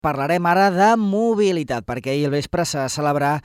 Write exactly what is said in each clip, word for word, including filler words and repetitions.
Parlarem ara de mobilitat, perquè ahir al vespre se celebrarà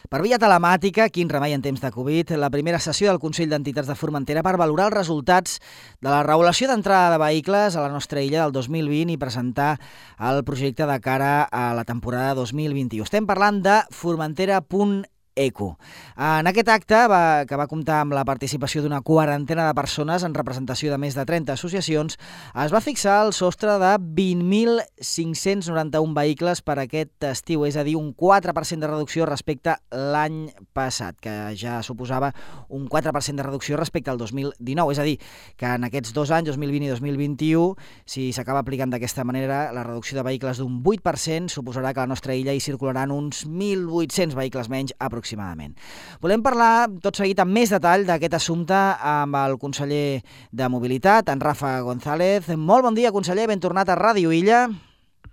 per via telemàtica, quin remei en temps de Covid, la primera sessió del Consell d'Entitats de Formentera per valorar els resultats de la regulació d'entrada de vehicles a la nostra illa del dos mil vint i presentar el projecte de cara a la temporada dos mil vint-i-u. Estem parlant de Formentera punt eco. En aquest acte, va, que va comptar amb la participació d'una quarantena de persones en representació de més de trenta associacions, es va fixar el sostre de vint mil cinc-cents noranta-un vehicles per aquest estiu, és a dir, un quatre per cent de reducció respecte l'any passat, que ja suposava un quatre per cent de reducció respecte al dos mil dinou. És a dir, que en aquests dos anys, dos mil vint i dos mil vint-i-u, si s'acaba aplicant d'aquesta manera, la reducció de vehicles d'un vuit per cent suposarà que a la nostra illa hi circularan uns mil vuit-cents vehicles menys aproximadament. aproximadament. Volem parlar tot seguit amb més detall d'aquest assumpte amb el conseller de Mobilitat, en Rafa González. Molt bon dia, conseller, ben tornat a Ràdio Illa.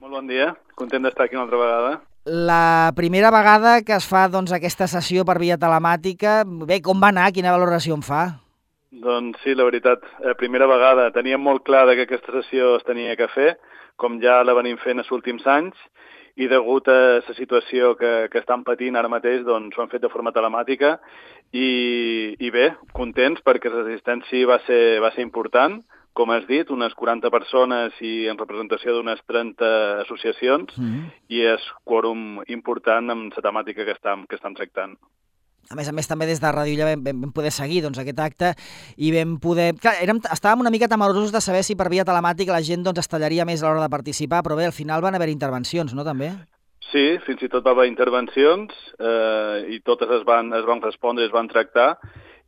Molt bon dia, content d'estar aquí una altra vegada. La primera vegada que es fa doncs, aquesta sessió per via telemàtica, bé, com va anar? Quina valoració en fa? Doncs sí, la veritat, eh, primera vegada. Teníem molt clar que aquesta sessió es tenia que fer, com ja la venim fent els últims anys, i degut a la situació que, que estan patint ara mateix, doncs ho han fet de forma telemàtica i, i bé, contents perquè la resistència va ser, va ser important, com has dit, unes quaranta persones i en representació d'unes trenta associacions, mm-hmm. i és quòrum important amb la temàtica que estem, que estem tractant. A més a més, també des de Ràdio Illa vam, vam poder seguir doncs, aquest acte i vam poder... Clar, érem, estàvem una mica temerosos de saber si per via telemàtica la gent doncs, es tallaria més a l'hora de participar, però bé, al final van haver intervencions, no, també? Sí, fins i tot va haver intervencions eh, i totes es van, es van respondre, es van tractar,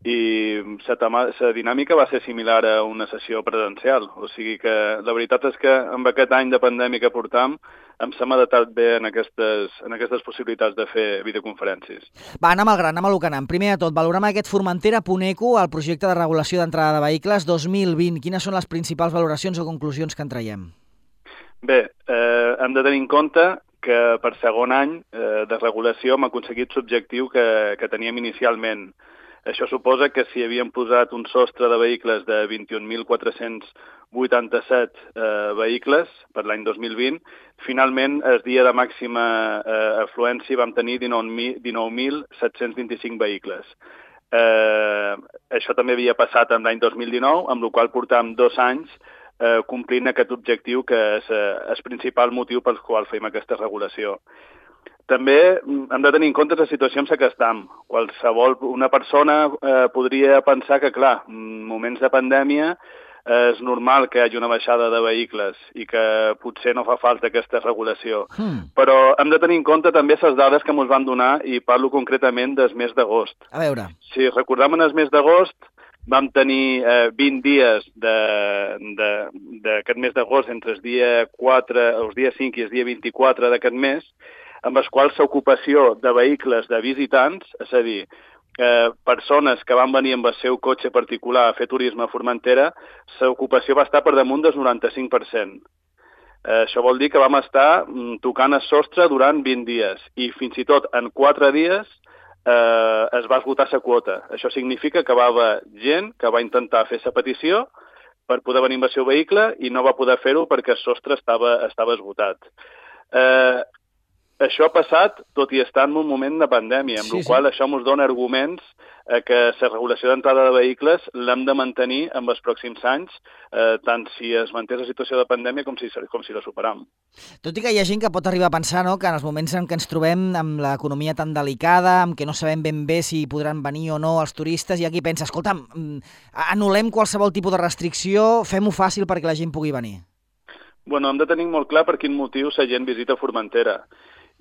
i la dinàmica va ser similar a una sessió presencial. O sigui que la veritat és que amb aquest any de pandèmia que portam em s'ha adaptat bé en aquestes, en aquestes possibilitats de fer videoconferències. Va, anem al gran, anem a lo que anem. Primer de tot, valorem aquest Formentera punt eco, el projecte de regulació d'entrada de vehicles dos mil vint. Quines són les principals valoracions o conclusions que en traiem? Bé, eh, hem de tenir en compte que per segon any eh, de regulació hem aconseguit l'objectiu que, que teníem inicialment. Això suposa que si havíem posat un sostre de vehicles de vint-i-un mil quatre-cents vuitanta-set eh, vehicles per l'any dos mil vint, finalment, el dia de màxima eh, afluència vam tenir dinou mil set-cents vint-i-cinc vehicles. Eh, això també havia passat en l'any dos mil dinou, amb la qual portàvem dos anys eh, complint aquest objectiu que és eh, el principal motiu pel qual fem aquesta regulació. També hem de tenir en compte la situació en què estem. Qualsevol, una persona eh, podria pensar que, clar, en moments de pandèmia eh, és normal que hi hagi una baixada de vehicles i que potser no fa falta aquesta regulació. Hmm. Però hem de tenir en compte també les dades que ens van donar i parlo concretament del mes d'agost. A veure. Si recordem en el mes d'agost, vam tenir eh, vint dies d'aquest mes d'agost entre el dia quatre, els dia cinc i el dia vint-i-quatre d'aquest mes, amb els quals l'ocupació de vehicles de visitants, és a dir, eh, persones que van venir amb el seu cotxe particular a fer turisme a Formentera, l'ocupació va estar per damunt del noranta-cinc per cent. Eh, això vol dir que vam estar mm, tocant el sostre durant vint dies i fins i tot en quatre dies eh, es va esgotar la quota. Això significa que va haver gent que va intentar fer la petició per poder venir amb el seu vehicle i no va poder fer-ho perquè el sostre estava, estava esgotat. Eh, Això ha passat tot i estar en un moment de pandèmia, amb sí, la qual sí. Això ens dona arguments eh, que la regulació d'entrada de vehicles l'hem de mantenir en els pròxims anys, eh, tant si es manté la situació de pandèmia com si, com si la superam. Tot i que hi ha gent que pot arribar a pensar, no?, que en els moments en què ens trobem amb l'economia tan delicada, amb què no sabem ben bé si podran venir o no els turistes, hi ha qui pensa, escolta'm, anul·lem qualsevol tipus de restricció, fem-ho fàcil perquè la gent pugui venir. Bueno, hem de tenir molt clar per quin motiu la gent visita Formentera.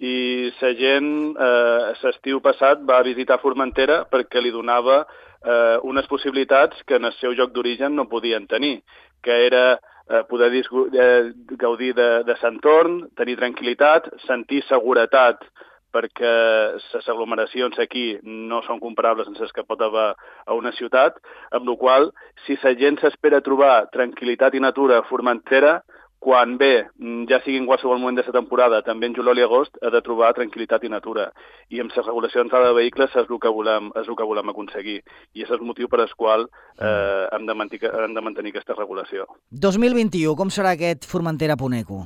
I la gent, eh, l'estiu passat, va visitar Formentera perquè li donava eh, unes possibilitats que en el seu lloc d'origen no podien tenir, que era eh, poder eh, gaudir de, de l'entorn, tenir tranquil·litat, sentir seguretat, perquè les aglomeracions aquí no són comparables amb les que pot haver a una ciutat, amb la qual, si la gent s'espera trobar tranquil·litat i natura a Formentera, quan ve, ja sigui en qualsevol moment de la temporada, també en juliol i agost, ha de trobar tranquil·litat i natura. I amb la regulació d'entrada de vehicles és el que volem, és el que volem aconseguir. I és el motiu per al qual eh, hem, de mantenir, hem de mantenir aquesta regulació. dos mil vint-i-u, com serà aquest Formentera punt eco?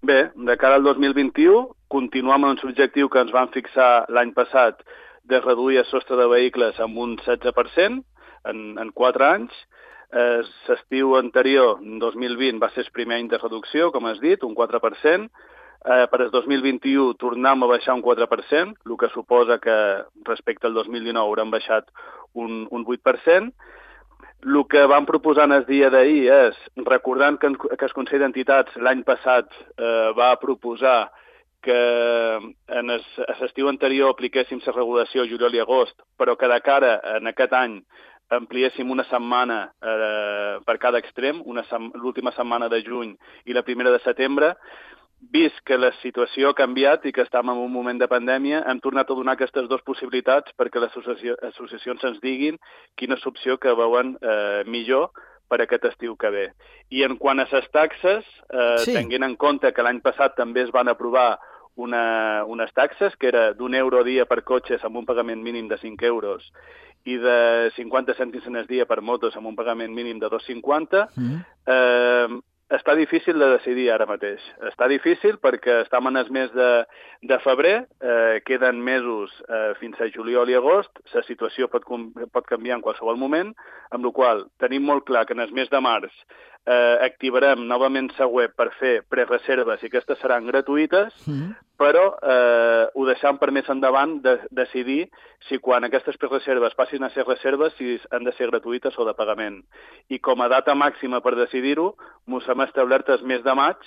Bé, de cara al dos mil vint-i-u, continuem amb l'objectiu que ens van fixar l'any passat de reduir el sostre de vehicles amb un setze per cent en, en quatre anys. Eh, L'estiu anterior, dos mil vint, va ser el primer any de reducció, com has dit, un quatre per cent. Eh, per el dos mil vint-i-u tornem a baixar un quatre per cent, el que suposa que respecte al dos mil dinou haurem baixat un, un vuit per cent. El que vam proposar en el dia d'ahir és, recordant que, que el Consell d'Entitats l'any passat eh, va proposar que en l'estiu anterior apliquéssim la regulació juliol i agost, però que de cara en aquest any ampliéssim una setmana eh, per cada extrem, sem l'última setmana de juny i la primera de setembre. Vist que la situació ha canviat i que estem en un moment de pandèmia, hem tornat a donar aquestes dues possibilitats perquè les associacions ens diguin quina és l'opció que veuen eh, millor per aquest estiu que ve. I en quant a les taxes, eh, sí. tenint en compte que l'any passat també es van aprovar una, unes taxes, que era d'un euro a dia per cotxes amb un pagament mínim de cinc euros i de cinquanta cèntims al dia per motos amb un pagament mínim de dos coma cinquanta, mm. eh, està difícil de decidir ara mateix. Està difícil perquè estem en el mes de, de febrer, eh, queden mesos eh, fins a juliol i agost, la situació pot, pot canviar en qualsevol moment, amb la qual tenim molt clar que en el mes de març eh, activarem novament la web per fer prereserves i aquestes seran gratuïtes, mm. però eh, ho deixam per més endavant de decidir si quan aquestes prereserves passin a ser reserves si han de ser gratuïtes o de pagament. I com a data màxima per decidir-ho, mos hem establert el mes de maig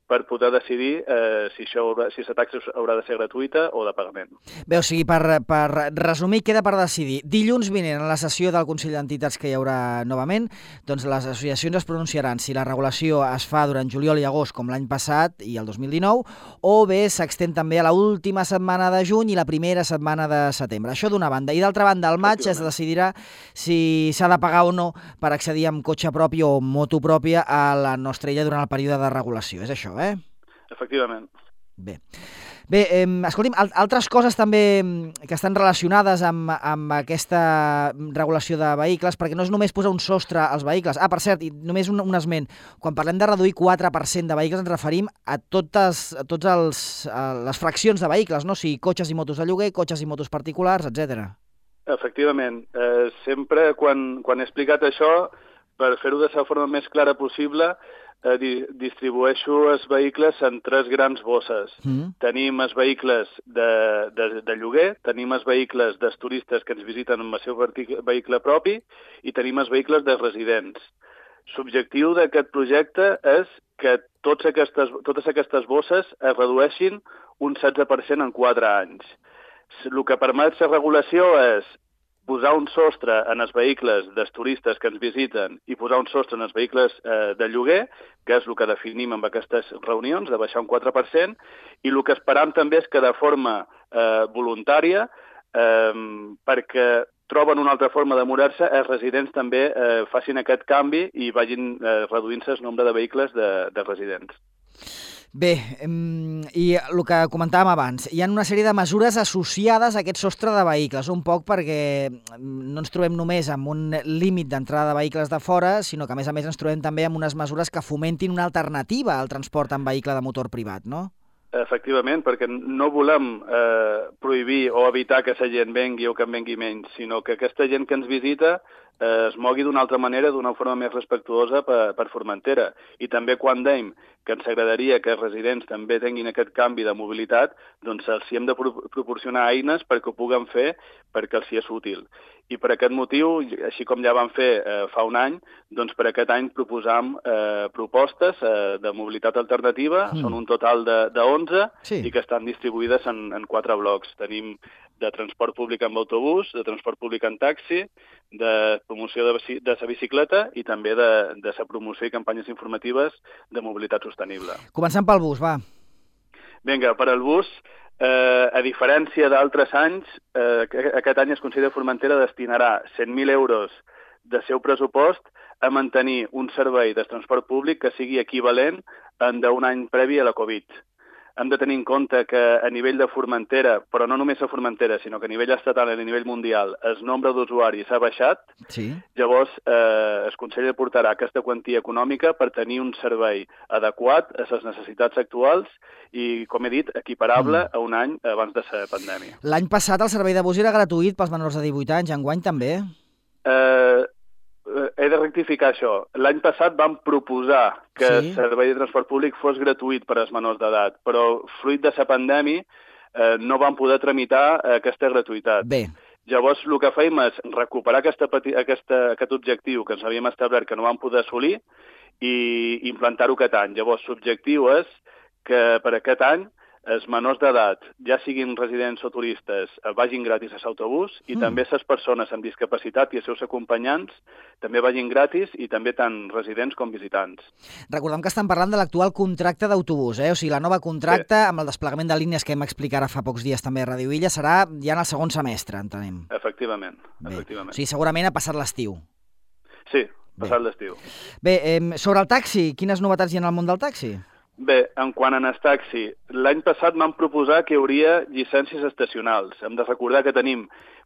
per poder decidir eh, si, això haurà, si la taxa haurà de ser gratuïta o de pagament. Bé, o sigui, per, per resumir, queda per decidir. Dilluns vinent, a la sessió del Consell d'Entitats que hi haurà novament, doncs les associacions es pronunciaran si la regulació es fa durant juliol i agost, com l'any passat i el dos mil dinou, o bé s'extén també a l'última setmana de juny i la primera setmana de setembre. Això d'una banda. I d'altra banda, al maig es decidirà si s'ha de pagar o no per accedir amb cotxe propi o moto pròpia a la nostra illa durant el període de regulació. És això, eh? Efectivament. Bé, Bé eh, escolti'm, altres coses també que estan relacionades amb, amb aquesta regulació de vehicles, perquè no és només posar un sostre als vehicles. Ah, per cert, i només un, un esment. Quan parlem de reduir quatre per cent de vehicles ens referim a totes, a tots els, a les fraccions de vehicles, no? O sigui, cotxes i motos de lloguer, cotxes i motos particulars, etcètera. Efectivament. Eh, sempre quan, quan he explicat això, per fer-ho de la forma més clara possible, Eh, di distribueixo els vehicles en tres grans bosses. Mm. Tenim els vehicles de, de, de lloguer, tenim els vehicles dels turistes que ens visiten amb el seu vehicle propi i tenim els vehicles dels residents. L'objectiu d'aquest projecte és que tots aquestes, totes aquestes bosses es redueixin un setze per cent en quatre anys. El que permet la regulació és posar un sostre en els vehicles dels turistes que ens visiten i posar un sostre en els vehicles eh, de lloguer, que és el que definim amb aquestes reunions, de baixar un quatre per cent, i el que esperam també és que de forma eh, voluntària, eh, perquè troben una altra forma de moure-se, els residents també eh, facin aquest canvi i vagin eh, reduint-se el nombre de vehicles de, de residents. Bé, i el que comentàvem abans, hi ha una sèrie de mesures associades a aquest sostre de vehicles, un poc perquè no ens trobem només amb un límit d'entrada de vehicles de fora, sinó que a més a més ens trobem també amb unes mesures que fomentin una alternativa al transport en vehicle de motor privat, no? Efectivament, perquè no volem eh, prohibir o evitar que la gent vengui o que en vengui menys, sinó que aquesta gent que ens visita eh, es mogui d'una altra manera, d'una forma més respectuosa per, per Formentera. I també quan dèiem que ens agradaria que els residents també tinguin aquest canvi de mobilitat, doncs els hi hem de pro proporcionar eines perquè ho puguen fer perquè els hi és útil. I per aquest motiu, així com ja vam fer eh, fa un any, doncs per aquest any proposam eh, propostes eh, de mobilitat alternativa, mm. són un total de, de onze, sí. I que estan distribuïdes en, en quatre blocs. Tenim de transport públic amb autobús, de transport públic en taxi, de promoció de, de la bicicleta i també de, de la promoció i campanyes informatives de mobilitat sostenible. Començant pel bus, va. Vinga, per al bus, eh, a diferència d'altres anys, eh, aquest any el Consell de Formentera destinarà cent mil euros de seu pressupost a mantenir un servei de transport públic que sigui equivalent en d'un any previ a la Covid. hem de tenir en compte que a nivell de Formentera, però no només a Formentera, sinó que a nivell estatal i a nivell mundial, el nombre d'usuaris ha baixat. Sí. Llavors, eh, el Consell aportarà aquesta quantia econòmica per tenir un servei adequat a les necessitats actuals i, com he dit, equiparable mm. a un any abans de la pandèmia. L'any passat el servei de bus era gratuït pels menors de divuit anys, enguany també? Eh... He de rectificar això. L'any passat vam proposar que sí? el servei de transport públic fos gratuït per als menors d'edat, però fruit de la pandèmia eh, no vam poder tramitar aquesta gratuïtat. Bé. Llavors, el que fèiem és recuperar aquesta, aquesta, aquest objectiu que ens havíem establert que no vam poder assolir i implantar-ho aquest any. Llavors, l'objectiu és que per aquest any els menors d'edat, ja siguin residents o turistes, vagin gratis a l'autobús i mm. també les persones amb discapacitat i els seus acompanyants també vagin gratis i també tant residents com visitants. Recordem que estan parlant de l'actual contracte d'autobús, eh? O sigui, la nova contracte sí. amb el desplegament de línies que hem explicat ara fa pocs dies també a Ràdio Illa serà ja en el segon semestre, entenem. Efectivament. Bé. efectivament. O sigui, segurament ha passat l'estiu. Sí, passat l'estiu. Bé, eh, sobre el taxi, quines novetats hi ha en el món del taxi? Bé, en quant a el taxi, l'any passat vam proposar que hi hauria llicències estacionals. Hem de recordar que tenim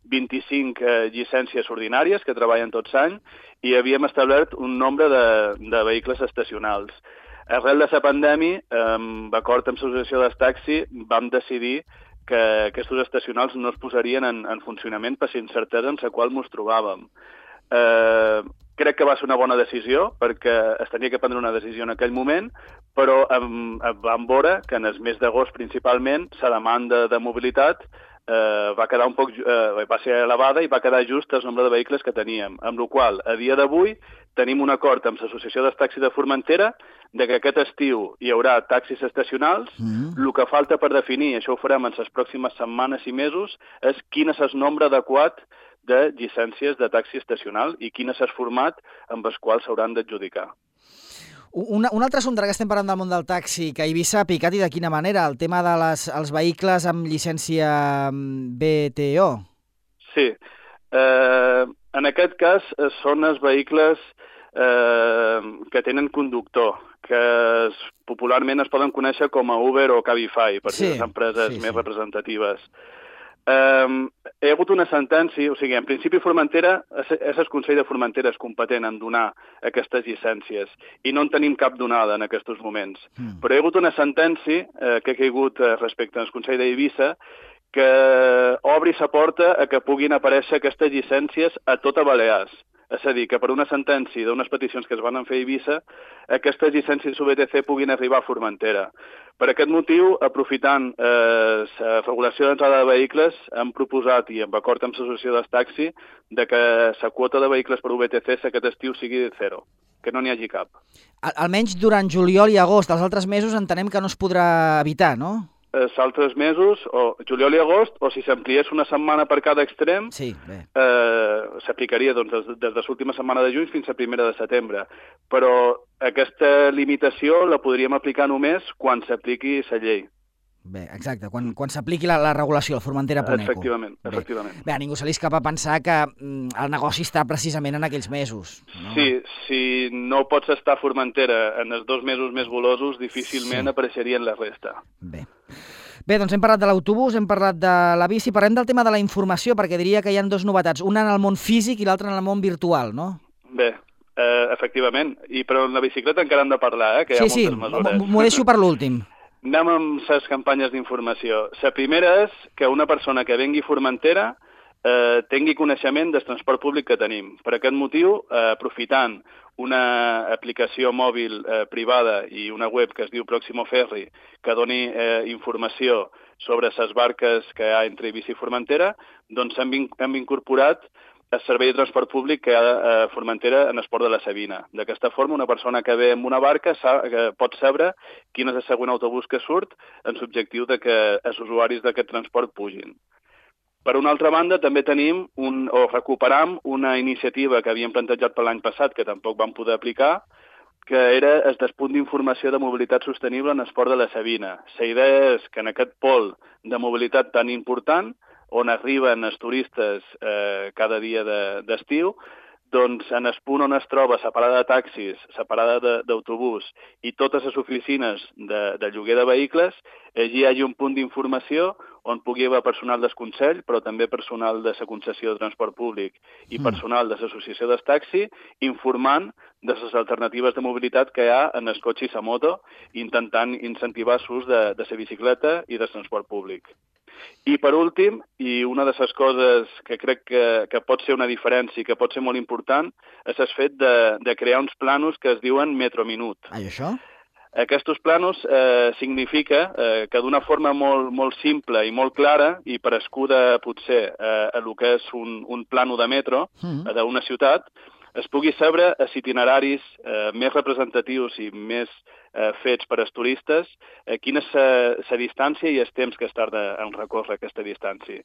vint-i-cinc eh, llicències ordinàries que treballen tots l'any i havíem establert un nombre de, de vehicles estacionals. Arrel de la pandèmia, eh, d'acord amb l'associació del taxi, vam decidir que aquests estacionals no es posarien en, en funcionament per la incertesa en la qual ens trobàvem. Eh, crec que va ser una bona decisió perquè es tenia que prendre una decisió en aquell moment, però em, em vam veure que en el mes d'agost principalment la demanda de mobilitat eh, va quedar un poc eh, va ser elevada i va quedar just el nombre de vehicles que teníem, amb la qual a dia d'avui tenim un acord amb l'Associació dels Taxis de Formentera de que aquest estiu hi haurà taxis estacionals. Mm. El que falta per definir, això ho farem en les pròximes setmanes i mesos, és quin és el nombre adequat de llicències de taxi estacional i quin és el format amb els quals s'hauran d'adjudicar. Un, un altre assumpte que estem parlant del món del taxi, que a Eivissa ha picat i de quina manera, el tema dels de els vehicles amb llicència B T O. Sí, eh, en aquest cas són els vehicles eh, que tenen conductor, que es, popularment es poden conèixer com a Uber o Cabify, per sí, les empreses sí, més sí. representatives. Um, hi ha hagut una sentència, o sigui, en principi Formentera, és el Consell de Formentera és competent en donar aquestes llicències i no en tenim cap donada en aquests moments. Mm. Però hi ha hagut una sentència eh, que ha caigut eh, respecte al Consell d'Eivissa que obri la porta a que puguin aparèixer aquestes llicències a tota Balears. És a dir, que per una sentència d'unes peticions que es van fer a Eivissa, aquestes llicències U B T C puguin arribar a Formentera. Per aquest motiu, aprofitant eh, la regulació d'entrada de vehicles, hem proposat, i en acord amb l'associació del taxi, de que la quota de vehicles per U B T C aquest estiu sigui de zero, que no n'hi hagi cap. Al, almenys durant juliol i agost, els altres mesos entenem que no es podrà evitar, no? Els altres mesos, o juliol i agost, o si s'ampliés una setmana per cada extrem, sí, eh, s'aplicaria doncs, des, des de l'última setmana de juny fins a primera de setembre. Però aquesta limitació la podríem aplicar només quan s'apliqui la llei. Bé, exacte, quan, quan s'apliqui la, la regulació, el Formentera Poneco. Efectivament, Bé. efectivament. Bé, a ningú se li escapa pensar que mm, el negoci està precisament en aquells mesos. No? Sí, si no pots estar a Formentera en els dos mesos més golosos, difícilment sí. apareixerien la resta. Bé. Bé, doncs hem parlat de l'autobús, hem parlat de la bici, parlem del tema de la informació, perquè diria que hi ha dues novetats, una en el món físic i l'altra en el món virtual, no? Bé, eh, efectivament, i però en la bicicleta encara hem de parlar, eh, que hi ha sí, moltes mesures. Sí, sí, m'ho deixo per l'últim. Anem amb les campanyes d'informació. La primera és que una persona que vengui a Formentera eh, tingui coneixement del transport públic que tenim. Per aquest motiu, eh, aprofitant una aplicació mòbil eh, privada i una web que es diu Pròximo Ferri, que doni eh, informació sobre les barques que hi ha entre Eivissa i Formentera, doncs hem, hem incorporat el servei de transport públic que hi ha a Formentera en el port de la Sabina. D'aquesta forma, una persona que ve amb una barca pot saber quin és el següent autobús que surt en l'objectiu de que els usuaris d'aquest transport pugin. Per una altra banda, també tenim un, o recuperam una iniciativa que havíem plantejat per l'any passat, que tampoc vam poder aplicar, que era el despunt d'informació de mobilitat sostenible en el port de la Sabina. La idea és que en aquest pol de mobilitat tan important, on arriben els turistes eh, cada dia d'estiu, doncs en el punt on es troba separada de taxis, separada d'autobús i totes les oficines de, de lloguer de vehicles, allí hi hagi un punt d'informació on pugui haver personal del Consell, però també personal de la concessió de transport públic i personal de l'associació del taxi, informant de les alternatives de mobilitat que hi ha en el cotxe i la moto, intentant incentivar l'ús de, de la bicicleta i del transport públic. I per últim, i una de les coses que crec que, que pot ser una diferència i que pot ser molt important, és el fet de, de crear uns planos que es diuen metrominut. Ah, i això? Aquests planos eh, significa eh, que d'una forma molt, molt simple i molt clara, i parescuda potser eh, a el que és un, un plano de metro mm. d'una ciutat, es pugui saber els itineraris eh, més representatius i més eh, fets per als turistes, eh, quina és la distància i el temps que es tarda en recórrer aquesta distància.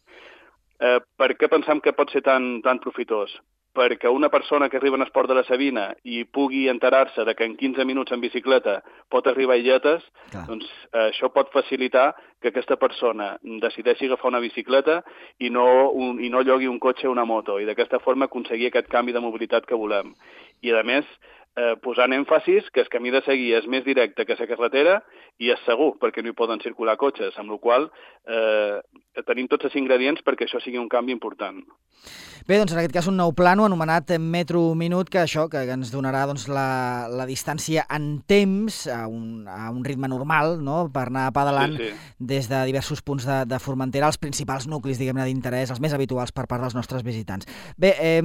Eh, per què pensem que pot ser tan, tan profitós? Perquè una persona que arriba en el port de la Sabina i pugui enterar-se de que en quinze minuts en bicicleta pot arribar a Illetes, doncs eh, això pot facilitar que aquesta persona decideixi agafar una bicicleta i no, un, i no llogui un cotxe o una moto, i d'aquesta forma aconseguir aquest canvi de mobilitat que volem. I, a més, eh, posant èmfasis que el camí de seguir és més directe que la carretera i és segur, perquè no hi poden circular cotxes, amb la qual cosa eh, tenim tots els ingredients perquè això sigui un canvi important. Bé, doncs en aquest cas un nou plano anomenat Metro Minut, que això que ens donarà doncs, la, la distància en temps a un, a un ritme normal, no?, per anar pedalant sí, sí. des de diversos punts de, de Formentera, els principals nuclis, diguem-ne, d'interès, els més habituals per part dels nostres visitants. Bé, eh,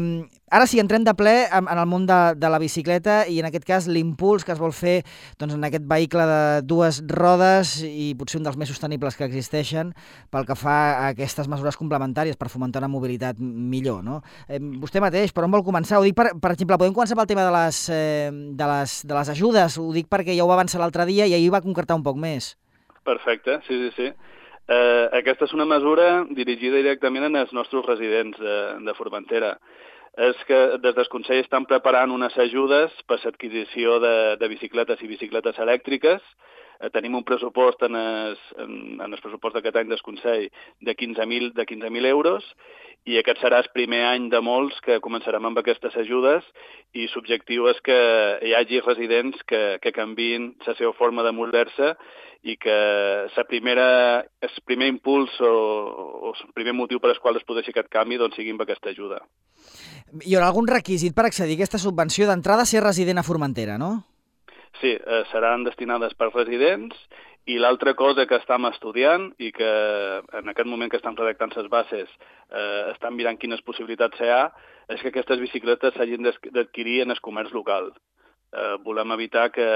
ara sí, entrem de ple en, en el món de, de la bicicleta i en aquest cas l'impuls que es vol fer doncs, en aquest vehicle de dues rodes i potser un dels més sostenibles que existeixen pel que fa a aquestes mesures complementàries per fomentar una mobilitat millor, no? Eh, vostè mateix, per on vol començar? Ho dic, per, per exemple, podem començar pel tema de les, eh, de, les, de les ajudes. Ho dic perquè ja ho va avançar l'altre dia i ahir va concretar un poc més. Perfecte, sí, sí, sí. Eh, aquesta és una mesura dirigida directament als nostres residents de, de Formentera. És que des del Consell estan preparant unes ajudes per l'adquisició de, de bicicletes i bicicletes elèctriques. Eh, tenim un pressupost en el, en, en el pressupost d'aquest any del Consell de quinze mil euros i aquest serà el primer any de molts que començarem amb aquestes ajudes i l'objectiu és que hi hagi residents que, que canviïn la seva forma de moure-se i que la primera, el primer impuls o, o el primer motiu per al qual es produeixi aquest canvi doncs, sigui amb aquesta ajuda. Hi haurà algun requisit per accedir a aquesta subvenció? D'entrada, ser resident a Formentera, no? Sí, eh, seran destinades per residents i l'altra cosa que estem estudiant i que en aquest moment que estem redactant les bases eh, estan mirant quines possibilitats hi ha és que aquestes bicicletes s'hagin d'adquirir en el comerç local. Eh, volem evitar que,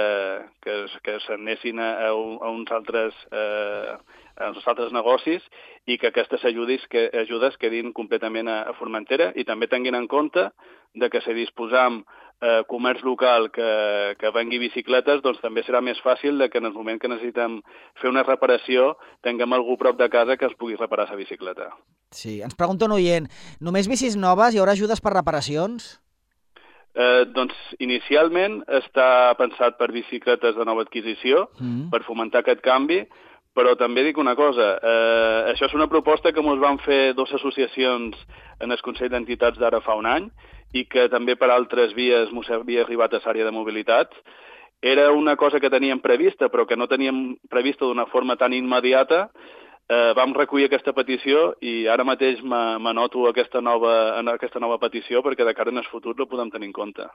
que, que s'anessin a, a uns altres... Eh, a uns altres negocis i que aquestes ajudes, que, ajudes quedin completament a, a Formentera i també tinguin en compte de que si disposam eh, comerç local que, que vengui bicicletes, doncs també serà més fàcil de que en el moment que necessitem fer una reparació tinguem algú prop de casa que es pugui reparar la bicicleta. Sí, ens pregunta un oient, només bicis noves, hi haurà ajudes per reparacions? Eh, doncs inicialment està pensat per bicicletes de nova adquisició, mm. per fomentar aquest canvi, però també dic una cosa, eh, això és una proposta que ens van fer dues associacions en el Consell d'Entitats d'ara fa un any i que també per altres vies ens havia arribat a l'àrea de mobilitat. Era una cosa que teníem prevista, però que no teníem prevista d'una forma tan immediata. Eh, vam recollir aquesta petició i ara mateix m'anoto aquesta nova, aquesta nova petició perquè de cara en el futur la podem tenir en compte.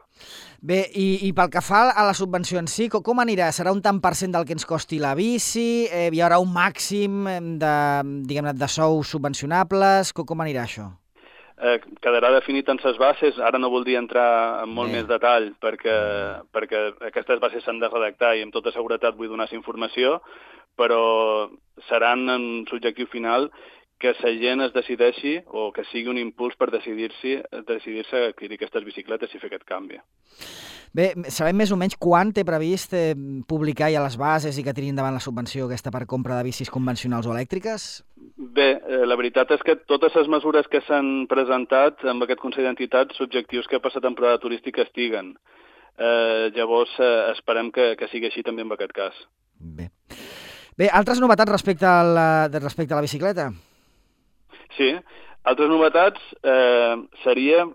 Bé, i, i pel que fa a la subvenció en si, com, com anirà? Serà un tant per cent del que ens costi la bici? Eh, hi haurà un màxim de, diguem-ne, de sous subvencionables? Com, com anirà això? Eh, quedarà definit en les bases, ara no voldria entrar en molt Bé. més detall perquè, perquè aquestes bases s'han de redactar i amb tota seguretat vull donar informació, però seran en l'objectiu final que la gent es decideixi o que sigui un impuls per decidir-se decidir-se a adquirir aquestes bicicletes i fer aquest canvi. Bé, sabem més o menys quan té previst eh, publicar ja les bases i que tirin endavant la subvenció aquesta per compra de bicis convencionals o elèctriques? Bé, eh, la veritat és que totes les mesures que s'han presentat amb aquest Consell d'Entitats, l'objectiu és que per la temporada turística estiguen. Eh, llavors, eh, esperem que, que sigui així també en aquest cas. Bé. Bé, altres novetats respecte a la, respecte a la bicicleta? Sí, altres novetats eh, seria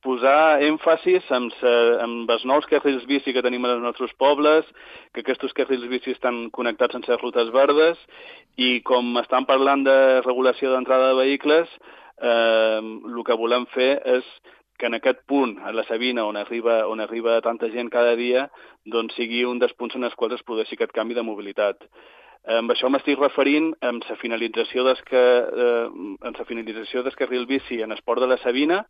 posar èmfasis en, sa, en els nous carrils bici que tenim als nostres pobles, que aquests carrils bici estan connectats amb les rutes verdes, i com estan parlant de regulació d'entrada de vehicles, eh, el que volem fer és que en aquest punt, a la Sabina, on arriba, on arriba tanta gent cada dia, doncs sigui un dels punts en els quals es produeixi aquest canvi de mobilitat. Amb això m'estic referint amb la finalització del que, eh, amb la finalització del carril bici en el port de la Sabina,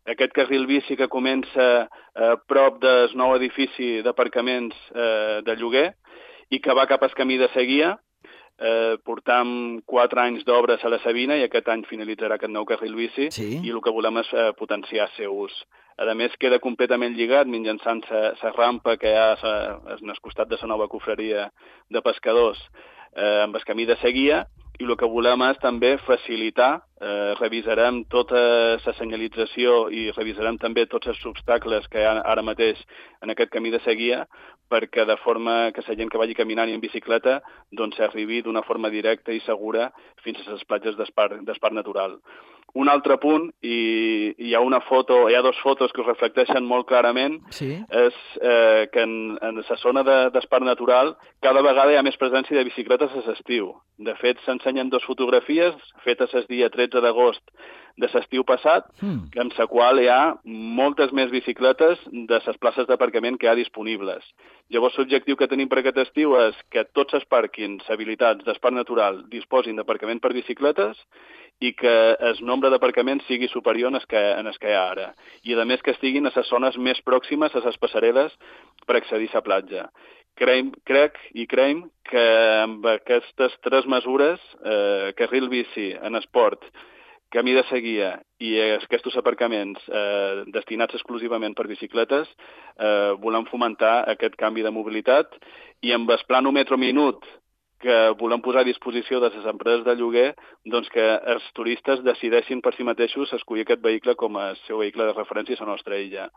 aquest carril bici que comença a prop del nou edifici d'aparcaments eh, de lloguer i que va cap al camí de Seguia. Eh, portam quatre anys d'obres a la Sabina i aquest any finalitzarà aquest nou carril bici, sí. I el que volem és eh, potenciar el seu ús. A més, queda completament lligat mitjançant la rampa que hi ha en el costat de la nova cofreria de pescadors eh, amb el camí de Seguia, i el que volem és també facilitar, eh, revisarem tota la senyalització i revisarem també tots els obstacles que hi ha ara mateix en aquest camí de Seguia, perquè de forma que la gent que vagi caminant i en bicicleta doncs arribi d'una forma directa i segura fins a les platges d'Espart natural. Un altre punt, i hi ha una foto, hi ha dues fotos que ho reflecteixen molt clarament, sí. És eh, que en, en la zona d'Espart natural cada vegada hi ha més presència de bicicletes a l'estiu. De fet, s'ensenyen dues fotografies fetes el dia tretze d'agost de l'estiu passat, mm. en la qual hi ha moltes més bicicletes de les places d'aparcament que hi ha disponibles. Llavors, l'objectiu que tenim per aquest estiu és que tots els pàrquings habilitats d'Espart natural disposin d'aparcament per bicicletes i que el nombre d'aparcaments sigui superior en el que, en el que hi ha ara. I, a més, que estiguin a les zones més pròximes a les passareles per accedir a la platja. Creim, crec i creiem que amb aquestes tres mesures, eh, carril bici en esport, camí de Seguia i aquests aparcaments eh, destinats exclusivament per bicicletes, eh, volem fomentar aquest canvi de mobilitat, i amb el planòmetre minut que volem posar a disposició de les empreses de lloguer, doncs que els turistes decideixin per si mateixos escollir aquest vehicle com a seu vehicle de referència a la nostra illa.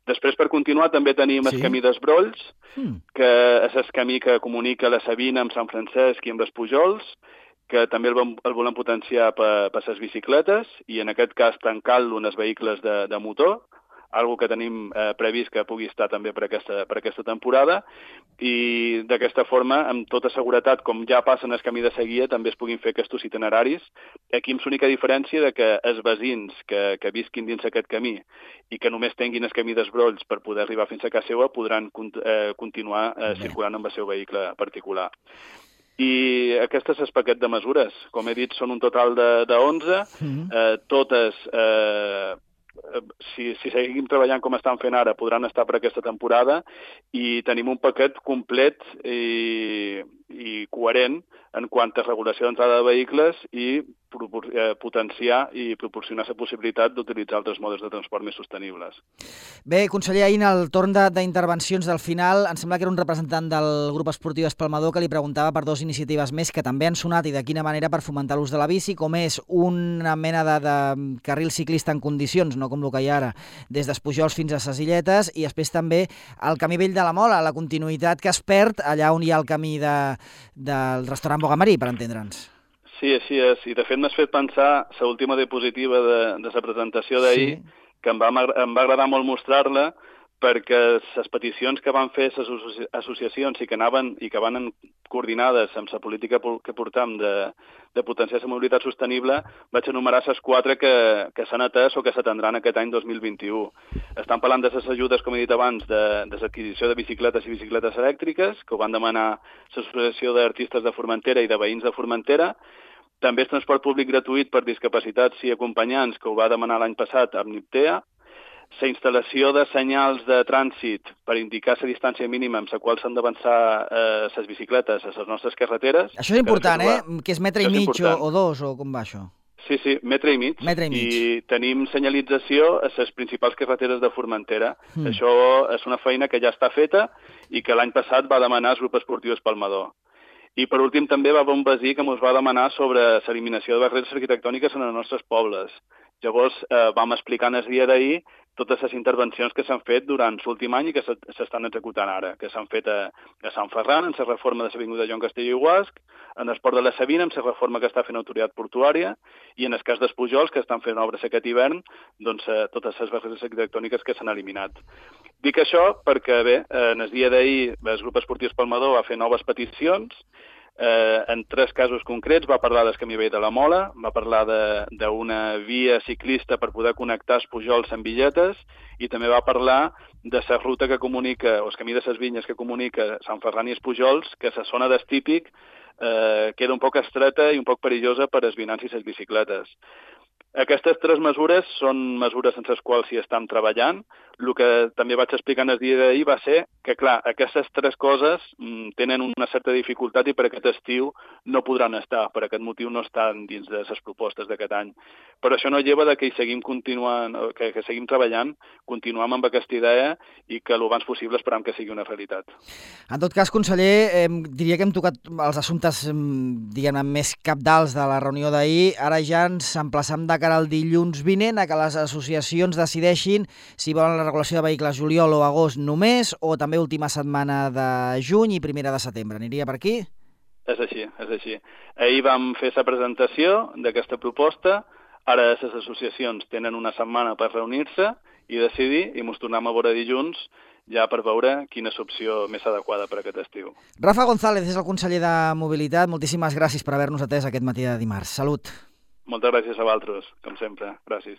Després, per continuar, també tenim sí. el camí dels Brolls, mm. que és el camí que comunica la Sabina amb Sant Francesc i amb les Pujols, que també el, el volem potenciar per, per les bicicletes i, en aquest cas, tancant-lo en els vehicles de, de motor, algo que tenim eh, previst que pugui estar també per aquesta, per aquesta temporada, i d'aquesta forma, amb tota seguretat, com ja passa en el camí de Seguia, també es puguin fer aquests itineraris, aquí amb l'única diferència de que els veïns que, que visquin dins aquest camí i que només tinguin el camí dels Brolls per poder arribar fins a casa seva podran eh, continuar eh, circulant amb el seu vehicle particular. I aquest és el paquet de mesures. Com he dit, són un total de, de onze, mm-hmm. eh, totes... Eh, Si, si seguim treballant com estan fent ara, podran estar per aquesta temporada, i tenim un paquet complet i, i coherent en quant a regulació d'entrada de vehicles i eh, potenciar i proporcionar la possibilitat d'utilitzar altres modes de transport més sostenibles. Bé, conseller, ahir en el torn d'intervencions del final, em sembla que era un representant del grup esportiu Espalmador que li preguntava per dues iniciatives més que també han sonat i de quina manera per fomentar l'ús de la bici, com és una mena de, de carril ciclista en condicions, no com el que hi ha ara, des dels Pujols fins a ses Illetes, i després també el camí vell de la Mola, la continuïtat que es perd allà on hi ha el camí de, del restaurant Bogamarí, per entendre'ns. Sí, així és. I de fet m'has fet pensar l'última diapositiva de, de la presentació d'ahir, sí. que em va, em va agradar molt mostrar-la, perquè les peticions que van fer les associacions i que anaven i que van coordinades amb la política que portam de, de potenciar la mobilitat sostenible, vaig enumerar les quatre que, que s'han atès o que s'atendran aquest any dos mil vint-i-u. Estan parlant de les ajudes, com he dit abans, de, de l'adquisició de bicicletes i bicicletes elèctriques, que ho van demanar l'Associació d'Artistes de Formentera i de Veïns de Formentera. També és transport públic gratuït per discapacitats i acompanyants, que ho va demanar l'any passat amb Niptea. La instal·lació de senyals de trànsit per indicar la distància mínima amb la qual s'han d'avançar les eh, bicicletes a les nostres carreteres. Això és important, eh? Que és metre i mig o, o dos, o com va això? Sí, sí, metre i mig. Metre i mig. I tenim senyalització a les principals carreteres de Formentera. Mm. Això és una feina que ja està feta i que l'any passat va demanar el grup esportiu Espalmador. I, per últim, també va haver un veí que ens va demanar sobre l'eliminació de barreres arquitectòniques en els nostres pobles. Llavors, eh, vam explicar en el dia d'ahir totes les intervencions que s'han fet durant l'últim any i que s'estan executant ara, que s'han fet a, a Sant Ferran, en la reforma de l'Avinguda Joan Castelló i Guasc, en el Port de la Sabina, amb la reforma que està fent l'autoritat portuària, i en el cas dels Pujols, que estan fent obres aquest hivern, doncs eh, totes les barreres arquitectòniques que s'han eliminat. Dic això perquè, bé, en el dia d'ahir el grup esportiu Palmador va fer noves peticions. Eh, en tres casos concrets va parlar del camí vell de la Mola, va parlar d'una via ciclista per poder connectar els Pujols amb Villetes i també va parlar de la ruta que comunica, o el camí de les Vinyes que comunica Sant Ferran i els Pujols, que la zona d'estípic eh, queda un poc estreta i un poc perillosa per als vianants i les bicicletes. Aquestes tres mesures són mesures en les quals s'hi estan treballant. El que també vaig explicar en el dia d'ahir va ser que, clar, aquestes tres coses mm, tenen una certa dificultat i per aquest estiu no podran estar, per aquest motiu no estan dins de les propostes d'aquest any. Però això no lleva de que hi seguim continuant, que, que seguim treballant, continuem amb aquesta idea i que el abans possible esperam que sigui una realitat. En tot cas, conseller, eh, diria que hem tocat els assumptes diguem-ne més cabdals de la reunió d'ahir. Ara ja ens emplaçam de cara al dilluns vinent a que les associacions decideixin si volen la regulació de vehicles juliol o agost només o també última setmana de juny i primera de setembre. Aniria per aquí? És així, és així. Ahir vam fer la presentació d'aquesta proposta, ara les associacions tenen una setmana per reunir-se i decidir i ens tornem a veure dilluns ja per veure quina és l'opció més adequada per aquest estiu. Rafa González és el conseller de Mobilitat. Moltíssimes gràcies per haver-nos atès aquest matí de dimarts. Salut! Moltes gràcies a vosaltres, com sempre. Gràcies.